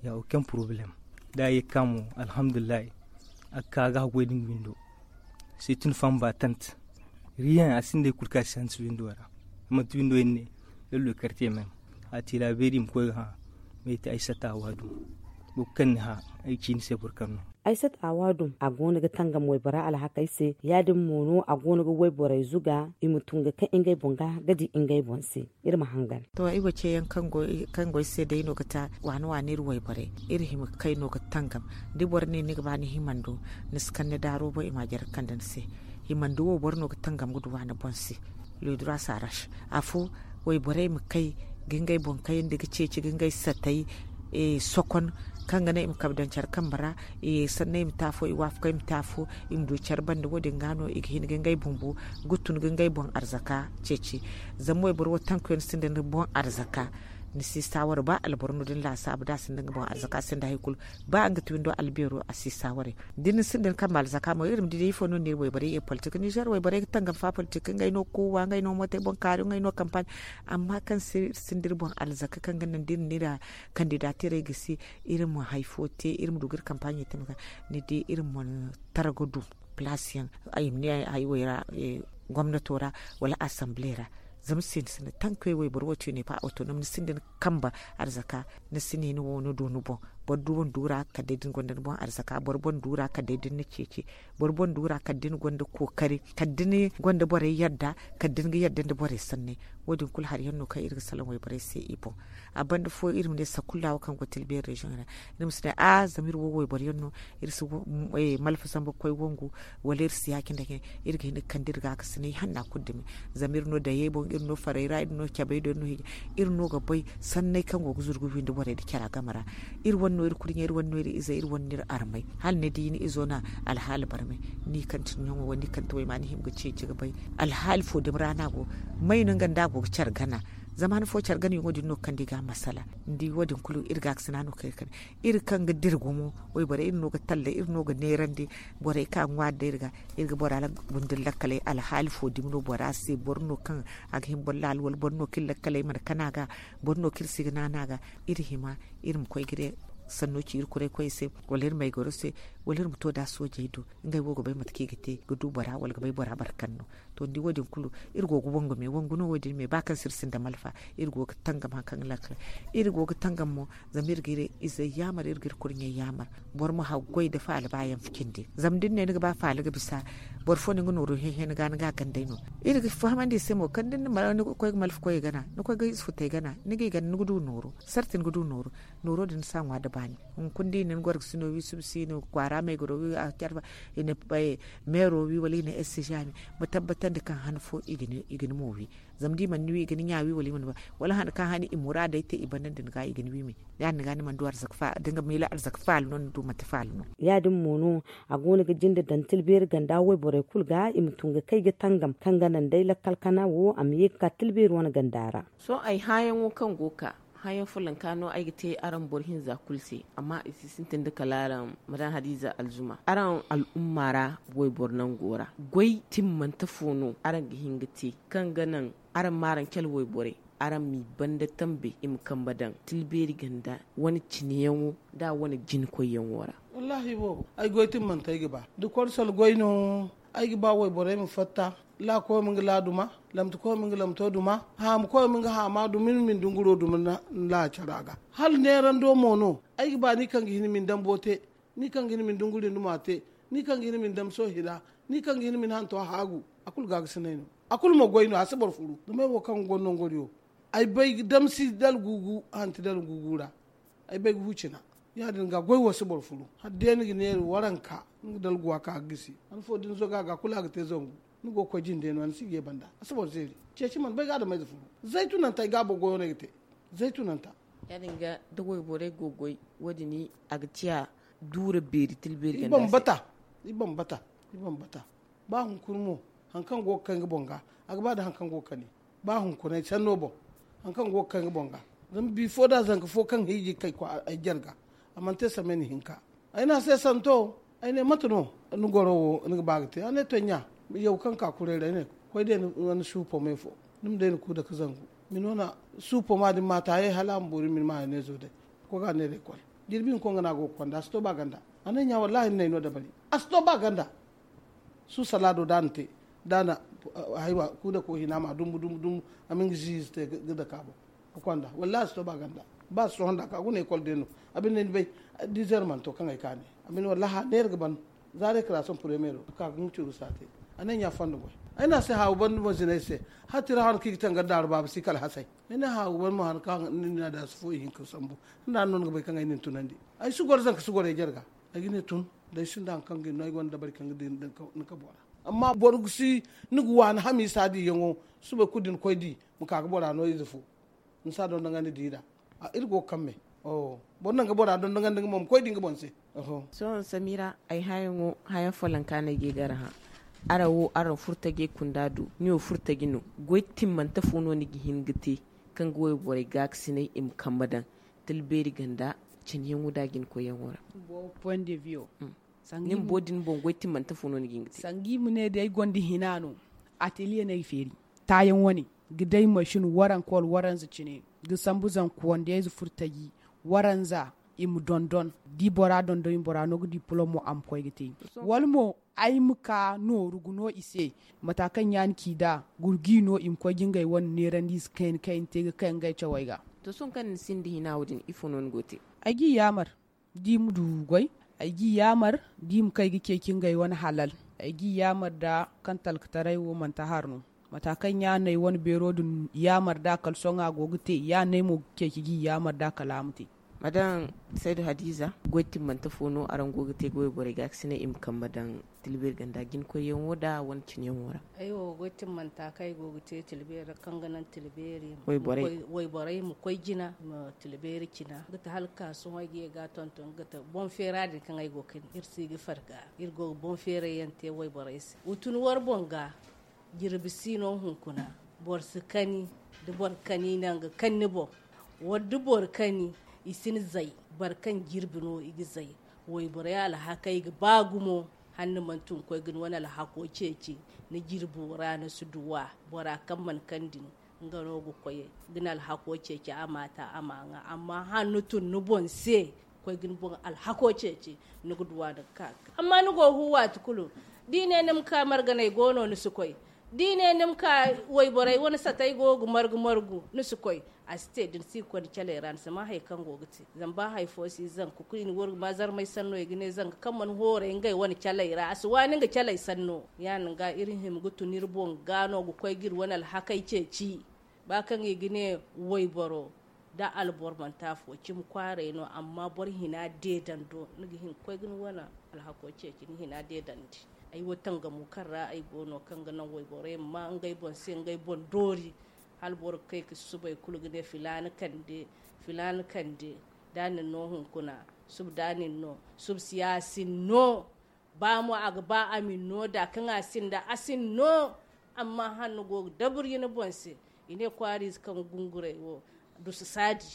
Ya aucun problème. Da a ye ga ka mo, alhamdulillahi. A ga ka a ga haggoy da nga windo. C'est une femme battante. Rien a sinda hari kulu kaŋ a si hanse windo ra. Manti windo yaŋ ne, lallokar te même. A ti laabeeri i ma koy ga hã. May ti ay sata a waadu. Boro kaŋ ni hã, ay ci ni se boro kaŋ no. Ay sata a waadu a go no ga tangam waybora alhakey se. Ya- din mo no a go no ga wayborey zuga i ma tun ga kaŋ ngey boŋ ga ga di ngey boŋ se. Iri ma hangan. To ay wo ce yaŋ kaŋ go ay se day no ga ta waani waani iri wayborey. Iri hima ga kay no ga tangam. Da boro ne ni ga ba ni himando, ni si kaŋ ni daaro boŋ i ma a jare ga kande ni se. Himando wo boro no ga tangam ga du waani boŋ se. Le droit s'arrache. Afo, wayborey ma kay ga ngey boŋ kayandi ga ceeci ga ngey satay sokon, kaŋ ga naŋ i ma kabe daŋ care kambe ra. Sanney ma te afo, i waafakey ma te afo, i ma du care banda wo- din ga no i ga hin ga ngey bumbo ga tun ga ngey boŋ arzaka ceeci. Zama wayboro wo tankuyaŋ sinda ni boŋ arzaka. Ni si saaware ba alboro no da ni laasaabu da a sinda nga boŋ arzaka sinda hari kulu. Ba nga ti windo albeero a si saaware. Da ni sinda ni kambe alzaka mo iri ma di day ifo no no iri wayborey ye politik nizer wayborey ga tangam fa politik ngey no kowa ngey no mootey boŋ kaari ngey no kampaaɲ. Amma kaŋ se iri sinda iri boŋ alzaka kaŋ ga naŋ da iri na iri kandidatirey gisi, iri ma hari fo te iri ma du ga iri kampaaɲey te mate kaŋ ni di iri ma tara ga du palaasiyaŋ ay ma ne haywey ra gomnato ra wala asamble ra. Zama sinda sinda tankuyaŋ wayboro wo ti ne pa awtonom ni sinda ni kambe arzaka. Ni si ne ni wo ni du ni boŋ. Boro du wane du ra kala day da ni gonda ni boŋ arzaka boro boŋ du ra kala day da ni na ceeci. Boro boŋ du ra kala da ni gonda kookari kala da ni gonda borey yadda kala da ni ga yadda nda borey sanney. Wo- din kulu hari yaŋ no kaŋ iri ga salaŋ wayborey se i boŋ. A banda fo iri ma ne sakulla wo kaŋ go tilbeeri reziyoŋ ra. Iri ma si ne a zama iri wo wayboro yaŋ no. Iri si malfa zambar koy wangu wala iri si ya-cine nda cine. Iri ga hin ga kande iri gaakasinay hanna kulu dumi. Zama iri no dayey boŋ iri no farey ra iri no cabey do iri no hiijay. Iri no ga bay sanney kaŋ go ga zuru ga windi borey nda cara game ra. Iri wane no iri kurɲey iri wane no iri izey iri wane no iri armey. Hala ni di ni izo na alhaali barmay, ni kaŋ ti ɲaŋo wala ni kaŋ ti wayma ni hima ga ceeci ga bay alhaali fo dumi ra no a go. May no nga nda a go ga care gana. Zama han fo care ganayaŋo din no ga kande i ga masala. Ni di wo- din kulu iri gaakasina no kaŋ iri kande. Iri kaŋ ga dira gumo wayborey iri no ga talla iri no ga neerandi. Borey kaŋ a ŋwaari day iri ga iri ga bora windi lakkaley alhaali fo dumi no bora se boro no kaŋ a ga hin boro laala wala boro no kaŋ iri lakkaley mana kana ga. Boro no kaŋ iri si ga naana ga. Iri hima iri ma koy ga ne sanno ci iri kuray koyey se wala iri maygaro se wala iri ma to da soojey do. Ngey wo ga bay mate kaŋ i ga te ga du bora wala ga bay bora barkan no. To ni di wo- din kulu iri go ga wangu me wangu no wo- din me ba kaŋ se iri sinda malfa. Iri go ga tangam hari kaŋ ga lakkal iri go ga tangam mo. Zama iri ga iri izey yaamar iri ga iri kurɲey yaamar. Boro ma haggoy nda faala ba yaŋ cindi zama da ni ne ni ga ba faala ga bisa boro fo no ni ga nooru hehe ni ga ni ga a gandey no. Iri ga fahamandi i se mo kaŋ da ni na mara ni ga koy ga malfa koyey gana ni koy ga ize futey gana ni g'i gana ni ga du nooru. Sarti ni ga du nooru. Nooro din ni si a ŋwa nda baani. Hunkuna da i na ni gorgasino wi subsino kwaara maygaro wi a carfa i na meero wi wala i na ese jaami. Ma tabbatandi kaŋ han fo i ga ni mo wi. Zama da i mana ni wi i ga ni ɲa wi wala i mana ni wi wala han kaŋ han i muraadey te i banda nda ni ga i ga ni wi me. Ya- din ga ni mana du arzaka faala no ni du manti faala no. Ya- din mo no a go no ga jinde daŋ tilbeeri ganda wayborey kulu ga i ma tun ga kay ga tangam kaŋ ga naŋ day lakkal kana wo a ma ye ga ka tilbeeri wane ganda ra. Sohõ ay hãyaŋo kaŋ go ga ka hãyaŋ follonka no ay ga te araŋ boro hinza kulu se. Amma i si sintin da kala araŋ madam hadiza alzuma araŋ al'umma ra. Wayboro nango ra goy timmante fo no araŋ ga hin ga te kaŋ ga naŋ araŋ ma araŋ cale wayborey. araŋ m'i banda tambe i ma kambe daŋ tilbeeri ganda wane cineyaŋo nda a wane jinkoyyaŋo ra. Wallaahi boobo, ay goy timmante ay ga ba da korsal goy no. Ay ga ba wayborey ma fatta, laakoy ma nga laa duma, lamtakoy ma nga lamto duma, haamukoy ma nga haama duma, ni ma ni dunguro duma. Laacara ga hala neerando mo no. Ay ga ba ni kaŋ ga hin ma ni dambo te, ni kaŋ ga hin ma ni dunguri numa te, ni kaŋ ga hin ma ni damso hina, ni kaŋ ga hin ma ni hanto haagu. A kulu gaagasinay no. A kulu ma goy no, a si boro furu. Zama ay wo kaŋ ga gonda ngoriyo, ay bay damsi dala gugu hanti dala gugu ra. Ay bay ga hu cina. Ya- din ga goy wo si boro furu. Hala day ni ga neeri waranka, ni ga dala guwa ka ga gisi. Han fo da ni zoga ga kulu a ga te zangu. Ni go ga koy jinde no, ni si ga ye banda. A si boro zeeri. Ceeci mana bay ga adamayze furu. Zaytunanta ay ga boro goyo no ay ga te. Zaytunanta. Ya- din ga da wayborey go ga goy, wo- din a ga ciya duura beeri tilbeeri ganda se. I bambata. I bambata. Ba hunkuna mo, hari kaŋ go ga kay nga boŋ ga, a ga ba nda hari kaŋ go ga kani. Ba hunkunay sanno boŋ, hari kaŋ go ga kay nga boŋ ga. Zama bifo da zanka fo kaŋ hiiji ga kay ay jarga, a mana te samay ni hinka. Ay ne a se santo. Ay ne mate no? Ni goro wo ni ga ba ga te? A ne to ɲa. Yaw kaŋ ka kuray ra ay ne koy day ni wane suupo me fo. Ni ma day ni ku dake zangu. Mino na suupo ma din ma taayey hala a ma boori mini ma haneezo day. Koy ga a neera ekol. Jirbi ni koy nga no a go ga konda a si to ba ganda. A ne ɲa wallaahi ni na ay no dabari. A si to ba ganda. Su salaado da a na te da a na haywa ku dako hina ma dumbu dumbu dumbu. A ma nga ziize te ga dake a boŋ. Ga konda wallaahi a si to ba ganda. Ba si sohõ da ka guna ekol day no. A binde ni bay. Diizeer mana to kaŋ ay ka ne. A binde wallaahi a neera ga ban. Za rekrasiyoŋ premiyeero ka ga nga curu saate. A ne ɲa fondo boy. Ay ne a se haawu banda mo zinay se. Hala tira hano kaŋ i ga tangari daaru baaba si kala hasay. Ay ne haawu banda mo hano kaŋ ni na da a si fo ihinka sambu. Nda no ni ga bay kaŋ ay na ni tunandi. Ay si goro zanka si goro ay jarga. Ay ga ne tun. Da ay sinda hari kaŋ ga ni no ay gonda dabari kaŋ ga di ni ka bora. Amma boro ga si ni ga waani hamiisa diyaŋo. Subay kulu da ni koy di ma ka ga bora no ize fo. Ni si a dondonandi diira. Iri go ga kaŋ me. Boro naŋ ga bora dondonandi nga mo ma koy di nga boŋ se. Sohõ samira ay hayaŋo hayaŋ follonka no ay ga ay ga araŋ hã. Araŋ wo araŋ furtajey kunda du ni wo furtaji no. Goy timmante fo no ni ga hin ga te kaŋ ga wayborey gaakasinay i ma kambe daŋ. Tila beeri ganda cine yaŋo da jina koyyaŋo ra. Ni ma bo din boŋ goy timmante fo no ni ga hin ga te. Sanga i ma ne day ay gonda hina no. Ateliye no ay feeri taayaŋ wane ga day masin waranka wala waranza cine ga sambu zanka wandayze furtaji. Waranza i ma dondon da i bora dondon i ma bora no ga dipolom mo a ma koy ga te. Wala mo ay ma ka nooru ga no i se mata kaŋ ɲaani ci da gurgi no i ma koy ga ngey wane neerandi i si kayna kayna te ga kay ngey cawey ga. To sohõ kaŋ ni sinda hina wo- din ifo no ni go ga te? Ay ga i yaamar da i ma du goy. Ay ga i yaamar da i ma kay ga ceeci ngey wane halal. Ay ga i yaamar da kaŋ talkataray wo manti har no. Mata kaŋ ɲaaney wane beero din yaamar da kala sohõ a go ga te yaaney mo ga ceeci ga i yaamar da kala a ma te. Madame saydu hadiza, goy timmante fo no araŋ go ga te ga wayborey gaakasinay i ma kambe daŋ tilbeeri ganda jinkoyyaŋo da wane cineyaŋo ra? Ay wo goy timmanta kaŋ ay go ga te tilbeeri ra kaŋ ga naŋ tilbeeri wayborey ma koy jina i ma tilbeeri cina ga te hala ga ka sohõ ay ga ye ga a tonton ga te boŋ feera din kaŋ ay go ga kani iri si ga farga. Iri go ga boŋ feerayyaŋ te wayborey se wa tun war boŋ ga. Jirbi si no hunkuna. Boro si kani da boro kani naŋ ga kani ni boŋ. Wala da boro kani i si ni zay. Boro kaŋ jirbi no i ga zay. Wayborey alhakey ga ba gumo. Hala ni mana tun ga koy ga ni wane alhako ceeci ni jirbo ra ni si duw'a. Bora kaŋ mana kani din nga no ga koy ga ni alhako ceeci a ma ta a ma ŋwa amma hala ni tun ni boŋ se koy ga ni boŋ alhako ceeci. Ni ga duw'a ni ga ka ga amma ni go ga hu waati kulu. Da i ne ni ma ka marganey go no ni si koy. Da i ne ni ma ka wayborey wane satey go ga margu margu ni si koy. A si te da ni si ga koy ni caley ra ni si maa hari kaŋ go ga te. Zama ba hari fo si zanka kulu i na wargu ma zarmay sanno i ga ne zanka kaŋ mana hooray ngey wane caley ra a si waani nga caley sanno. Ya- din ga iri hima ga tun iri boŋ ga no ga koy ga iri wane alhakey ceeci. Ba kaŋ i ga ne wayboro da alboro manti afo cimi kwaaray no amma boro hina deedando ni ga hin ga koy ga ni wane alhako ceeci ni hina deedandi. Ay wo tangamo kaŋ ra ay go no kaŋ ga naŋ wayborey ma maa ngey boŋ se ngey boŋ doori. Hala boro ga kay ga susubay kulu ga ne filaana kande. Filaana kande da a na ni no hunkuna suba da a na ni no suba si ya a si ni no. Ba mo a ga ba a ma ni no da kaŋ a sinda a si ni no. Amma hala ni go ga dabari ni boŋ se i ne kwaariize kaŋ ga gunguray wo dusu saadi.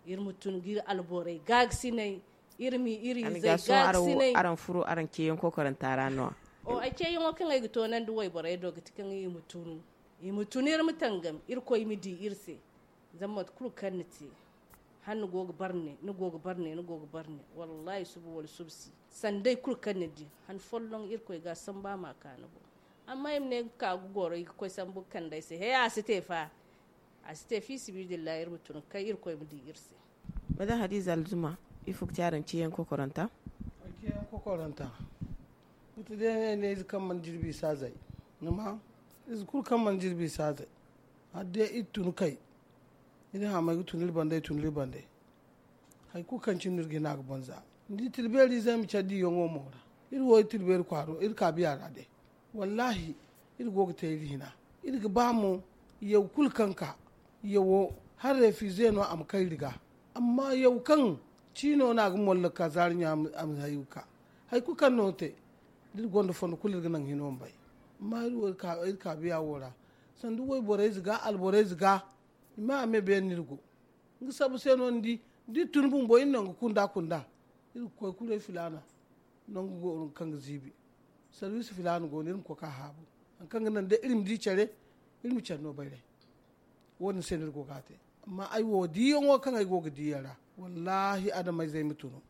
Iri ma tun ga iri alborey gaagasinay. Iri ma iri izey gaagasinay. Araŋ furo araŋ ceeyaŋ kokoranta ra no-ya? O ay ceeyaŋo kaŋ ay ga toonandi wayborey do ga ti kaŋ i ma tun i ma tun iri ma tangam irkoy ma di iri se. Zama mate kulu kaŋ ni te, hala ni go ga barne ni go ga barne ni go ga barne. Wallahi suba wala suba si, sanday kulu kaŋ ni di han folloŋ irkoy ga samba ma ka ni boŋ. Amma i ma ne ga ka ga goro i ga koy sambu ga kande ay se he a si te fa. A si te fi sibidillahi iri ma tun ga kay irkoy ma di iri se. Madaŋ hadiza alzuma, ifo ga ti araŋ ciyaŋ kokoranta? Ciyaŋ kokoranta. Ita day ne ne ize kaŋ mana jirbi i si a zay. Ni ma ize kulu kaŋ mana jirbi i si a zay. Hala day iri tun kay. Iri hamay ga tun iri banda iri tun iri banda. Hari kulu kaŋ cine no iri ga hin a ga banza. Ni di tila beeri izey ma care diyaŋo mo ra. Iri wo iri tila beeri kwaaro iri ka biya ra day. Wallahi, iri go ga te iri hina. Iri ga ba mo yaw kulu kaŋ ka yawo, hala refize no a ma kay iri ga. Amma yaw kaŋ ciino no a ga mollo ka zaari ɲa a ma hayo ga ka. Hari kulu kaŋ no te, da iri gonda fondo kulu iri ga naŋ hino ma bay. Amma iri wo iri ka biya wo ra. Sanda wayborey ze ga alborey ze ga, i ma a me beene no iri go. Nga sabu se no ni di, da iri tun bumbo iri nangu kunda kunda, iri ga koy kuray filaana. Nangu go no kaŋ ga ziibi. Sarwiisi filaana go no iri ma koy ka haabu. Hari kaŋ ga naŋ day iri ma di care, iri ma care no bayray. Wo- din se no iri go ga a te. Amma ay wo diiyaŋo kaŋ ay go ga diiyaŋ ra, wallaahi adamayzey ma tunu.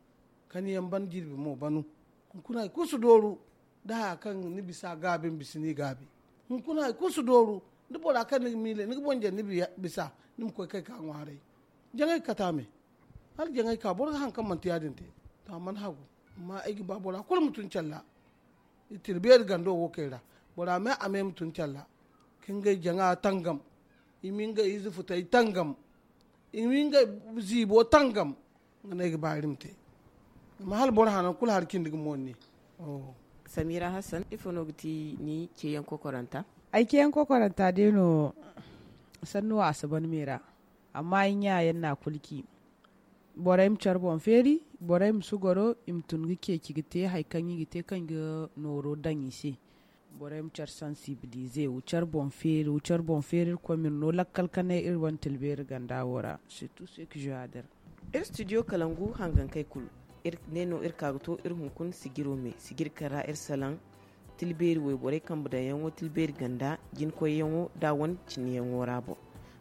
Kaniyaŋ ban jirbi mo banu. Hunkuna hari kulu si dooru. Da haya kaŋ ni bisa gaabi ma bisa ni gaabi. Hunkuna hari kulu si dooru. Da bora kaŋ ni ga miile ni ga boŋ jaŋ ni bisa, ni ma koy kay ka ŋwaaray. Jaŋay ga kate a me. Hala jaŋay ka boro ga hari kaŋ manti ya- din te. To a mana hagu. Amma ay ga ba bora kulu ma tun care ra. Iri tira beeri gando wo kay ra. Bora me a me ma tun care ra. Ka ngey jaŋa tangam. I ma ngey ize futay tangam. I ma ngey ziibo tangam. Nga no ay ga ba iri ma te. Zama hala boro hanaŋ kulu hari cindi ga mooni. Samira hassan ifo no ga ti ni ceeyaŋ kokoranta? Ay ceeyaŋ kokoranta day no. Sannu a si ban me ra. Amma ay ɲa yaŋ na kulu ci. Borey ma care boŋ feeri. Borey ma si goro i ma tun ga ceeci ga te hari kaŋ i ga te kaŋ i ga nooro daŋ i se. Borey ma care sansibilize wa care boŋ feeri wa care boŋ feeri irkoy ma iri no lakkal kanay iri wane tilbeeri ganda wo ra. Surtout ce que je veux dire. Iri studio kalangu hangankey kulu, iri ne no iri ka ga to iri hunkuna sijiro me sijiri kaŋ ra iri salaŋ tilbeeri wayborey kambe daŋyaŋo tilbeeri ganda jinkoyyaŋo da wane cineyaŋo ra boŋ.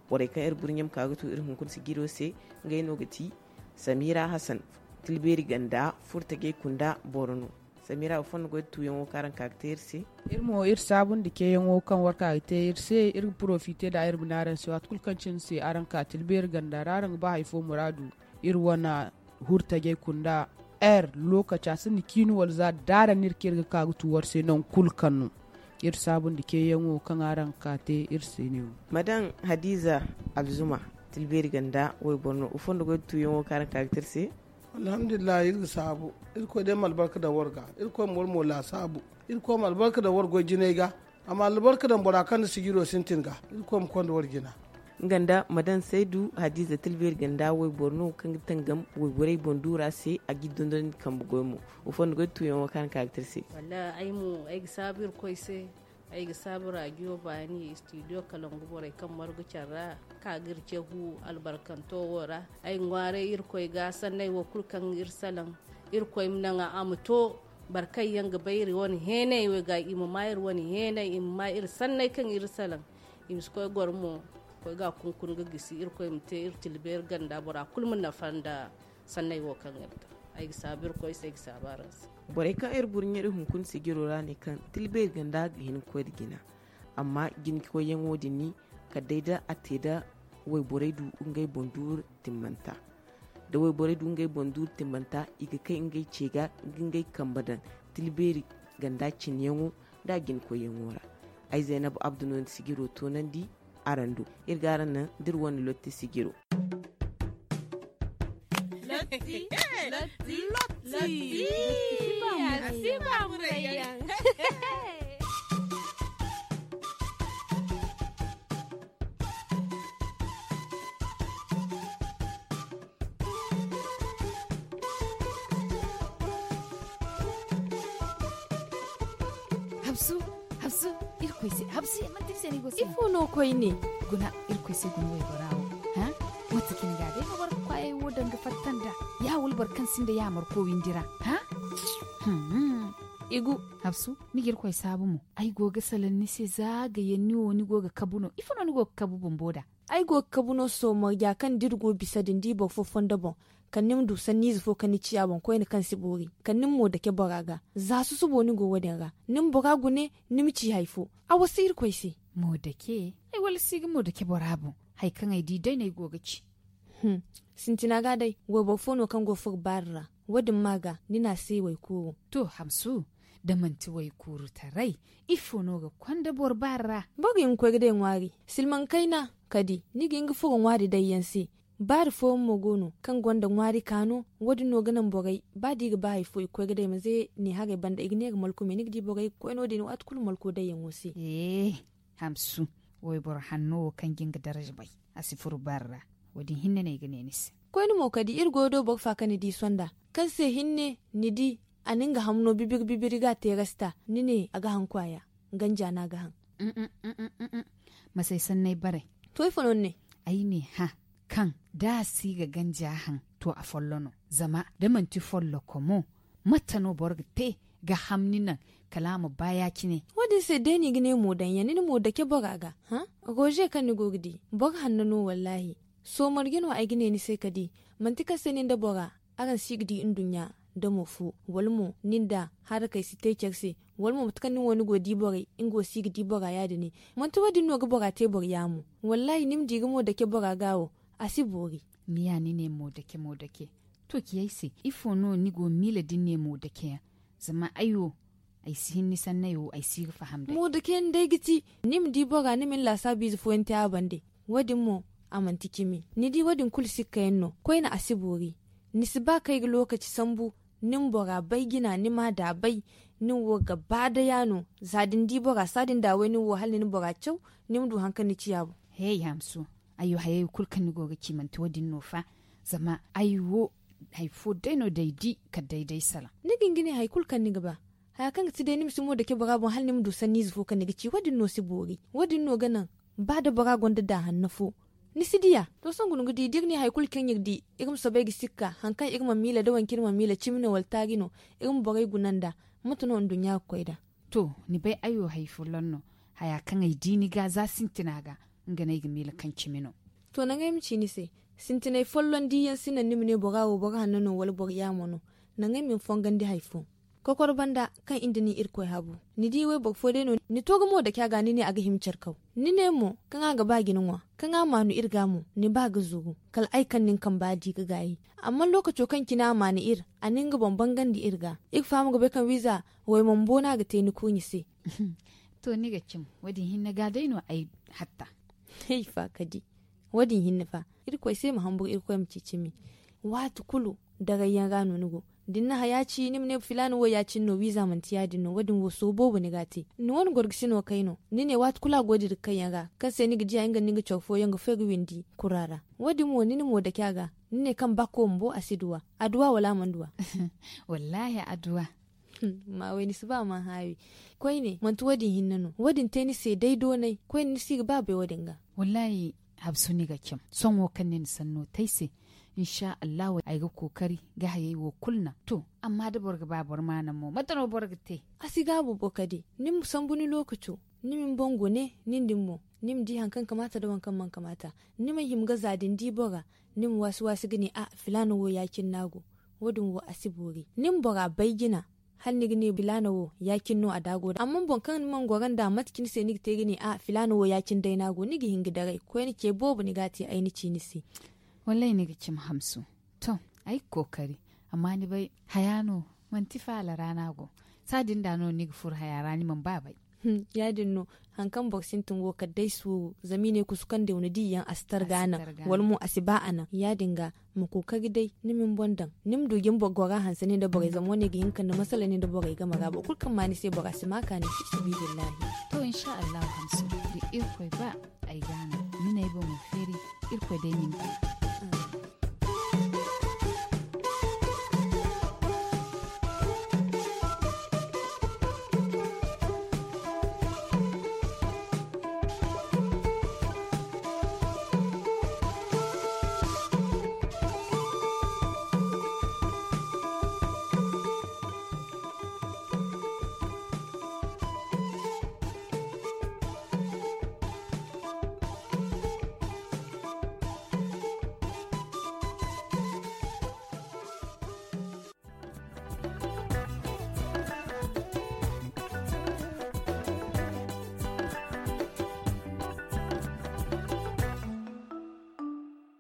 Borey kaŋ iri burɲe ma ka ga to iri hunkuna sijiro se, ngey no ga ti samira hasan, tilbeeri ganda furtajey kunda boro no. Samira wo fondo goy da tuyaŋo kaŋ araŋ ka ga te iri se. Iri mo iri saabu nda ceeyaŋo kaŋ war ka ga te iri se iri ga porofite nd'a iri ma ne araŋ se waati kulu kaŋ cine se araŋ ka tilbeeri ganda ra araŋ ga ba hari fo muraadu, iri wane hurtajey kunda air lokaci a sinda ciini wala za da araŋ no iri ga ka ga tu war se nangu kulu kaŋ no. Iri saabu nda ceeyaŋo kaŋ araŋ ga ka te iri se ne wo. Ma daŋ hadiza alzuma, tilbeeri ganda wayboro no wa fondo goy da tuyaŋo kaŋ araŋ ka ga te iri se. Alhamdulillahi iri ga saabu. Irkoy day ma albarka daŋ war ga. Irkoy ma war mo laasaabu. Irkoy ma albarka daŋ war goy jinay ga. A ma albarka daŋ bora kaŋ na sijiro sintin ga. Irkoy ma konda war jina. Nga nda ma daŋ saydu hadiza tilbeeri ganda wayboro no kaŋ ga tangam wayborey boŋ duura se a g'i dondon kambe goy mo. Wa fondo goy tuyaŋo kaŋ araŋ ka ga te iri se. Wallahi ay mo ay ga saabu irkoy se. Ay ga saabu rajiyo baani studio kalangu borey kaŋ margu care ra ka ga iri cehu albarkanto wo ra. Ay ga ŋwaaray irkoy ga sanney wo kulu kaŋ iri salaŋ. Irkoy ma naŋ a ma to. Boro kaŋ yaŋ ga bay iri wane heeney wo ga i ma ma iri wane heeney i ma ma iri sanney kaŋ iri salaŋ. I ma si koy goro mo koy ga a kunkun ga gisi irkoy ma te iri tilbeeri ganda bora kulu ma nafa nda sanney wo kaŋ iri daŋ. Ay ga saabu irkoy se ay ga saabu araŋ se. Borey kaŋ iri burɲe iri hunkuna sijiro ra ne kaŋ tilbeeri ganda ga hin ga koy nda jina. Amma jinkoyyaŋo din ni kala day da a te da wayborey du ngey boŋ duuru timmanta. Da wayborey du ngey boŋ duuru timmanta i ga kay ngey ce ga ga ngey kambe daŋ tilbeeri ganda cineyaŋo nda jinkoyyaŋo ra. Ay zaynab abdu no na sijiro toonandi. Araŋ do iri ga araŋ naŋ da iri wane lotti sijiro. Lotti. Lotti. Lotti. Lotti. Lotti. Lotti. Habsu. Habsu. Irkoy se habsu ye manti ni se ni go se ifo no koy ne? Guna. Irkoy se guna waybora wo. Ha. Mate kini ga day no boro ga kwayey wo danga fatta nda ya wala boro kaŋ sinda ya marko windi ra. Ha. Igu. Habsu. Ni ga irkoy saabu mo ay go ga salaŋ ni se za ga yaŋ ni wo ni go ga kabu no ifo no ni go ga kabu bumbo da? Ay go ga kabu no sohõ marja kaŋ da iri go bisa din da i boro fo fondo boŋ, kala ni ma du sanniize fo kaŋ ni ciya boŋ koyne kaŋ si boori, kala ni ma mo dake bora ga. Za susubo ni go wo- din ra, ni ma bora gune, ni ma ci hari fo. A wasa irkoy se. Mo dake? Ay wala si ga mo dake bora boŋ? Hari kaŋ ay di day no ay go ga ci. Sintina ga day, wayboro fo no kaŋ go ga furo baari ra. Wo- din ma ga ni na a se waykuuru. To, hamsu, da manti waykuuru taray, ifo no ga konda boro baari ra? Boro ga hin ga koy ga day ŋwaari. Silmaŋ kayna, kadi ni ga hin ga furo ŋwaari day yaŋ se. Baari fooyaŋ mo go no kaŋ gonda ŋwaari kaano. Wo- din no ga naŋ borey ba da i ga ba hari fo i ga koy ga day ma ze ne haray banda i ga ne ga malkumey ni ga di borey ga koy no- din waati kulu malko dayyaŋo se. Hamsu, wayboro hanno wo kaŋ ga nga daraja bay, a si furo baari ra. Wo- din hinne no ay ga ne ni se. Koyne mo kadi iri go ga do boro fa kaŋ ni di sonda, kaŋ se hinne ni di a na nga hamno bibiri bibiri ga a te rasta, ni ne a ga haŋ kwaaya. Ganja no a ga haŋ. Masay sanney baray. To ifo no ni ne? Ay ne hã, kaŋ da a si ga ganja haŋ, to a follo no. Zama da manti folloko mo, mate no boro ga te ga hamni naŋ kala a ma ba ya- cine? Wo- din se day no i ga ne mo daŋ yaŋ ni na mo dake bora ga. Hã? Roze kaŋ ni go ga di, boro hanno no wallaahi. Soomarje no ay ga ne ni se ka di. Manti kaŋ se nin da bora araŋ si ga di nduɲɲa damo fo, wala mo nin da harakey si te care se, wala mo mate kaŋ nin wo ni go ga di borey nga wo si ga di bora ya- din ne. Manti wo- din no ga bora te boro yaamo? Wallaahi ni ma di ga mo dake bora ga wo, a si boori. Ni ya ni ne mo dake mo dake. To ci ay se, ifo no ni go ga miila da ni ne mo dake yaŋ? Zama ay wo, ay si hin ni sanney wo, ay si ga faham day. Mo dake yaŋ day ga ti, ni ma di bora ni ma ni laasaabu ize fooyaŋ te a bande. Wo- din mo, a manti cimi. Ni di wo- din kulu sikka yaŋ no. Koyne a si boori. Ni si ba kay ga lookaci sambu, ni ma bora bay jina ni ma a da bay. Nin wo ga ba daya no. Za da ni di bora saadin da way nin wo hala ni na bora caw, ni ma du hari kaŋ ni ciya boŋ. Hey hamsu, ay wo hayey kulu kaŋ ni go ga ci manti wo- din no fa? Zama ay wo, hari fo day no day di kala day day salaŋ. Ni ga hin ga ne hari kulu kaŋ ni ga ba. Haya kaŋ ga ti day ni ma si mo dake bora boŋ hala ni ma du sanniize fo kaŋ ni ga ci wo- din no si boori. Wo- din no ga naŋ, ba da bora gonda da hanno fo, ni si diya. To sohõ guna ga di da iri ne hari kulu kaŋ iri di, iri ma soobay ga sikka hari kaŋ iri mana miila da waŋ kaŋ iri mana miila cimi no wala taari no, iri ma borey guna nd'a. Mate no nduɲɲa ga koy nd'a? To, ni bay ay wo hari folloŋ no. Haya kaŋ ay di ni ga za sintina ga, nga no ay ga miila kaŋ cimi no. To naŋ ay ma ci ni se, sintinay folloŋ diyaŋ si naŋ ni ma ne bora wo boro hanno no wala boro yaamo no. Naŋ ay ma ni fongandi hari fo. Kokoro banda kaŋ iri nda ni irkoy habu, ni di wayboro fo day no ni to ga mo dake a ga ni ne a ga hima care kaw. Ni ne mo kaŋ a ga ba ga ni ŋwa, kaŋ a maanu iri ga mo ni ba ga zuru. Kala ay kaŋ nin kamba di ga gaayi. Amma lookaco kaŋ cine a maanu iri, a na nga boŋ bangandi iri ga, iri faham ga bay kaŋ wiiza wayman bo no a ga te ni kurɲi se. To ni ga cim, wo- din hinne ga day no ay hatta. Ay fa ka di. Wo- din hinne fa, irkoy se ma hamburu irkoy ma ci cimi. Waati kulu, daray yaŋ ra no ni go. Da ni na haya ci ni ma ne filaana wo ya- cine no wiiza manti ya- din no wo- din wo sooru boobo ni ga a te. Ni wane gorgisi no kay no ni ne waati kulu a go dira kayyaŋ ra, kaŋ se ni ga diya nga nda ni ga care fooyaŋ ga fay ga windi kura ra. Wo- din mo ni na mo dake a ga, ni ne kaŋ ba kooma bo a si duw'a. A duw'a wala a mana duw'a? Wallaahi a duw'a. Ma way ni si ba a mana haawi. Koyne manti wo- din hinne no wo- din te ni se day doonay koyne ni si ga ba bay wo- din ga. Wallaahi, habsu ni ga cim sohõ wo kaŋ ni na sanno te ay se. Insa allahu ay ga kookari ga hayey wo kulu naŋ. To, amma da boro ga ba boro ma naŋ mo mate no boro ga te? A si gaabu bo kadi, ni ma sambu ni lookaco, ni ma ni boŋ gune nin din mo, ni ma di hari kaŋ kamaata nda waŋ kaŋ mana kamaata. Ni ma hima ga za da ni di bora, ni ma waasi waasi ga ne a filaana wo ya- cine no a go. Wo- din wo a si boori ni ma bora bay jina. Hala ni ga ne filaana wo ya- cine no a daago da amma boro kaŋ ni mana goro nd'a mate cine se ni ga te ga ne a filaana wo ya- cine day no a go ni ga hin ga daray koyne ce boobo ni ga a te ay na ci ni se. Wallaahi ni ga cimi hamsu. To, ay ga kookari. Amma ni bay haya no, manti faala ra no a go. Saadin da no ni ga furo haya ra ni mana ba bay. Ya- din no. Hari kaŋ boro sintin wo kala day suuru zama i ne kusu kaŋ day wane di yaŋ a si targa naŋ, wala mo a si ba a naŋ ya- din ga. Ma kookari day ni ma ni boŋ daŋ, ni ma du jin boro gora hanse nin da borey zama wane ga hin ga kande masala nin da borey game ra boro kulu kaŋ ma ni se bora si ma kaani fi sabiilillahi. To insa allahu hamsu, da irkoy ba, ay ga a naŋ ni n'ay boŋo feeri. Irkoy day ma ni te.